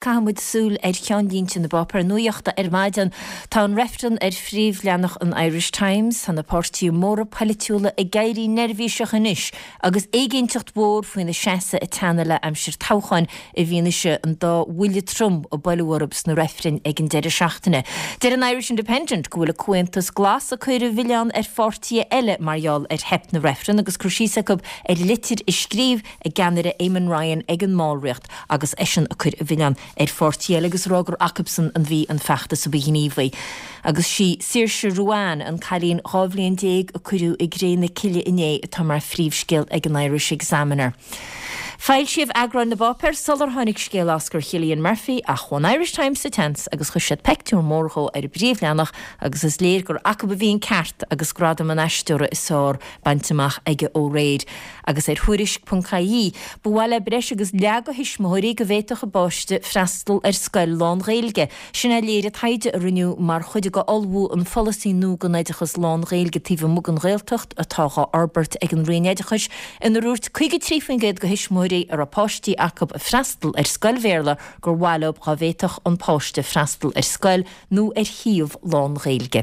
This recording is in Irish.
Caithfidh muid súil ar cheannlínte na bpáipéar nuachta ar maidin. Tá an reifreann ar phríomhleathanach an Irish Times. Tá na páirtithe móra poilitiúla ag éirí neirbhíseach anois agus éiginnteacht mhór faoina seasamh ag teannadh le aimsir toghcháin i bhfianaise an dá bhuille trom a buaileadh orthu sna reifrinn ag an deireadh seachtaine. Deir an Irish Independent go bhfuil an Comhaontas Glas ag cur an mhilleáin ar pháirtithe eile mar gheall ar theip na reifreann agus cur síos acu ar litir a scríobh a gceannaire Eamon Ryan ag an mballraíocht agus eisean ag cur an mhilleáin ar pháirtí eile agus ag rá gur acubsan a bhí an feachtas a ba ghníomhaí. Agus sí Saoirse Ruane, an cailín 12 bhliain a cuireadh i gcré na cille inné atá mar phríomhscéal ag an Irish Examiner. Foilsíodh eagráin na bpáipéar sular tháinig scéal Oscar Chillian Murphy ach chuaigh an Irish Times sa tseans agus chuir siad peictiúr mór dhó ar a bpríomhleathanach agus is léir gur acu a bhí an ceart agus gradam an aisteora is fearr bainte amach aige ó aréir. Agus ar Thuairisc ponc ie, ba mhaith le breis agus leath de thuismitheoirí go bhféadfadh a bpáiste freastal ar scoil lán-Ghaeilge. Sin a léirigh taighde a rinneadh mar chuid de ullmhú an pholasaí nua don oideachas lán-Ghaeilge taobh amuigh den Ghaeltacht atá dhá fhorbairt ag an Roinn Oideachais inar dhúirt 53% de thuismitheoirí a raibh páistí acu ag freastal ar scoil Bhéarla gur mhaith leo dá bhféadfadh an páiste freastal ar scoil nó ar shuíomh lán-Ghaeilge.